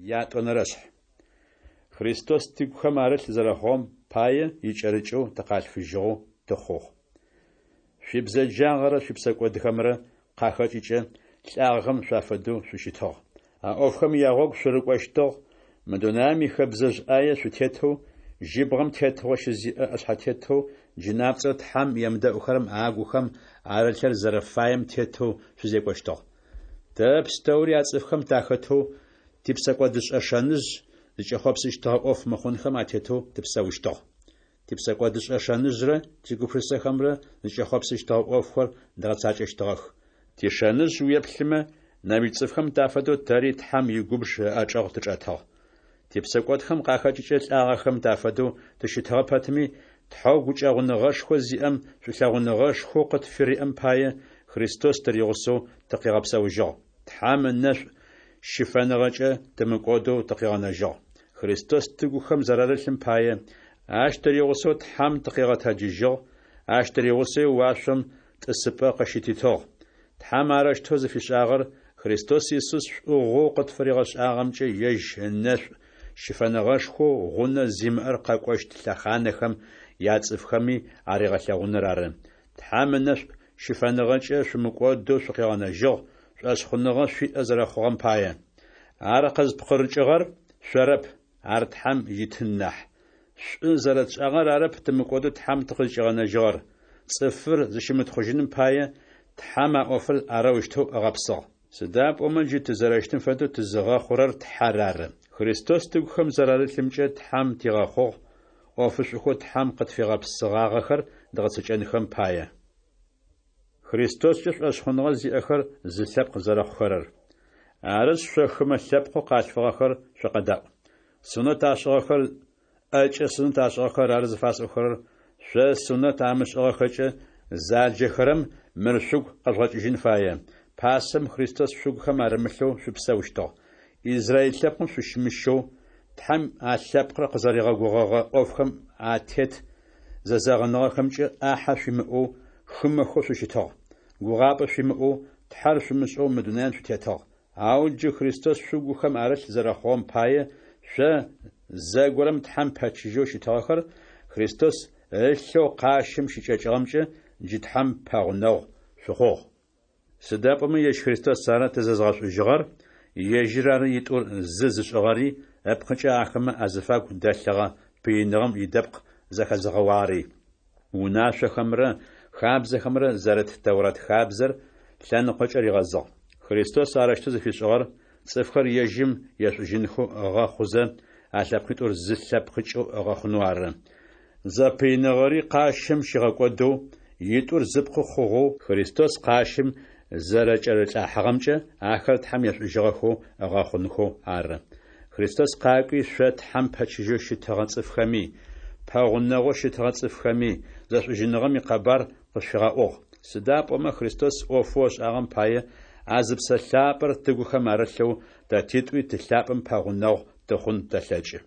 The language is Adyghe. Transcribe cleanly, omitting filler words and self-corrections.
Ятӏонэрэшъхь. Христос тыгухэм арылъ зэрэхъугъэм пае икӏэрыкӏэу тыкъалъфыжьыгъэу тыхъугъ. Шъуибзэджагъэрэ шъуипсэкӏодхэмрэ къахэкӏыкӏэ лӏагъэхэм шъуафэдэу шъущытыгъ. А ӏофхэм ягъогу шъурыкӏощтыгъ, мы дунаем ихэбзэжъ ӏае шъутетэу, жьыбгъэм тетыгъо щызиӏэ ӏэшъхьэтетэу джынапцӏэу Тхьэм емыдэӏухэрэм агухэм арылъыр зэрэфаем тетэу шъузекӏощтыгъ. Тэ пстэури а цӏыфхэм тахэтэу, типсэкӏодышӏэ шэныжъ зыкӏэхъопсыщтыгъэ ӏоф мыхъунхэм атетэу тыпсэущтыгъ. Типсэкӏодышӏэ шэныжърэ тигупшысэхэмрэ зыкӏэхъопсыщтыгъэ ӏофхэр дгъэцакӏэщтыгъэх. Тишэныжъ уеплъымэ, нэмыкӏ цӏыфхэм тафэдэу тэри Тхьэм игубж ыӏэчӏэгъ тычӏэтыгъ. Типсэкӏодхэм къахэкӏыкӏэ лӏагъэхэм тафэдэу тыщытыгъэ пэтми, Тхьэу гукӏэгъуныгъэшхо зиӏэм шӏулъэгъуныгъэшхоу къытфыриӏэм пае, Христос тыригъусэу тыкъигъэпсэужьыгъ. Тхьэм ынэшӏу щыфэныгъэкӏэ тымыкӏодэу тыкъигъэнэжьыгъ. Христос тыгухэм зэрарылъым пае, ащ тыригъусэу Тхьэм тыкъигъэтэджыжьыгъ, ащ тыригъусэуи уашъом тӏысыпӏэ къыщытитыгъ. Тхьэм арэущтэу зыфишӏагъэр Христос Исус шӏугъэу къытфыригъэшӏагъэмкӏэ ежь ынэшӏу щыфэныгъэшхоу гъунэ зимыӏэр къэкӏощт лъэхъанэхэм яцӏыфхэми аригъэлъэгъуныр ары. Тхьэм ынэшӏу щыфэныгъэкӏэ шъумыкӏодэу шъукъигъэнэжьыгъ, шӏошъхъуныгъэ шъуиӏэ зэрэхъугъэм пае. Ар къызпкъырыкӏыгъэр шъорэп, ар Тхьэм итын нахь. Шӏу зэрэтшӏагъэр арэп тымыкӏодэу Тхьэм тыкъызкӏигъэнэжьыгъэр. Цӏыфыр зыщымытхъужьыным пае, Тхьэм а ӏофыр арэущтэу ыгъэпсыгъ. Сыда пӏомэ джы тызэрэщытым фэдэу тызыгъэхъурэр Тхьэр ары. Христос тыгухэм зэрарылъымкӏэ Тхьэм тигъэхъугъ, ӏофышӏухэу Тхьэм къытфигъэпсыгъагъэхэр дгъэцэкӏэнхэм пае. Христоскӏэ шӏошъхъуныгъэ зиӏэхэр зы лъэпкъ зэрэхъухэрэр. Арышъ, шъо хымэ лъэпкъэу къалъфыгъэхэр шъукъэдаӏу. Сунэт ашӏыгъэхэр ӏэкӏэ сунэт ашӏыгъэхэр ары зыфасӏохэрэр, шъо сунэт амышӏыгъэхэкӏэ заджэхэрэм мыр шъугу къэжъугъэкӏыжьын фае: пасэм Христос шъугухэм арымылъэу шъупсэущтыгъ. Израиль лъэпкъым шъущымыщэу, Тхьэм а лъэпкъыр къызэригъэгугъэгъэ ӏофхэм атет зэзэгъыныгъэхэмкӏэ ӏахьэ шъуимыӏэу, хымэхэу шъущытыгъ. Гугъапӏэ шъуимыӏэу, Тхьэр шъумышӏэу мы дунаем шъутетыгъ. Ау джы Христос шъугухэм арылъ зэрэхъугъэм пае, шъо, зэгорэм Тхьэм пэчыжьэу щытыгъэхэр, Христос ылъэу къащым щыкӏэкӏыгъэмкӏэ джы Тхьэм пэгъунэгъу шъухъугъ. Сыда пӏомэ ежь Христос ары тызэзгъэшӏужьыгъэр, ежьыр ары итӏур зы зышӏыгъэри, ыпкъыкӏэ ахэмэ азыфагу дэлъыгъэ пыиныгъэм идэпкъ зэхэзыгъэуагъэри. Унашъохэмрэ хабзэхэмрэ зэрыт Тэурат хабзэр лъэныкъокӏэ ригъэзыгъ. Христос арэущтэу зыфишӏыгъэр цӏыфхэр ежьым ешӏужьынхэу ыгъэхъузэ, а лъэпкъитӏур зы лъэпкъыкӏэу ыгъэхъунэу ары. Зэпыиныгъэри къащым щигъэкӏодэу, итӏур зыпкъы хъугъэу Христос къащым зэрэкӏэрылӏахьыгъэмкӏэ ахэр Тхьэм ешӏужьыгъэхэу ыгъэхъунхэу ары. Христос къакӏуи, шъо Тхьэм пэчыжьэу щытыгъэ цӏыфхэми, пэгъунэгъоу щытыгъэ цӏыфхэми зэшӏужьыныгъэм икъэбар къышъуфигъэӏугъ. Сыда пӏомэ Христос ӏофэу ышӏагъэм пае а зы Псэ Лъапӏэр тыгухэм арылъэу тэ титӏуи Ты лъапӏэм пэгъунэгъу тыхъун тэлъэкӏы.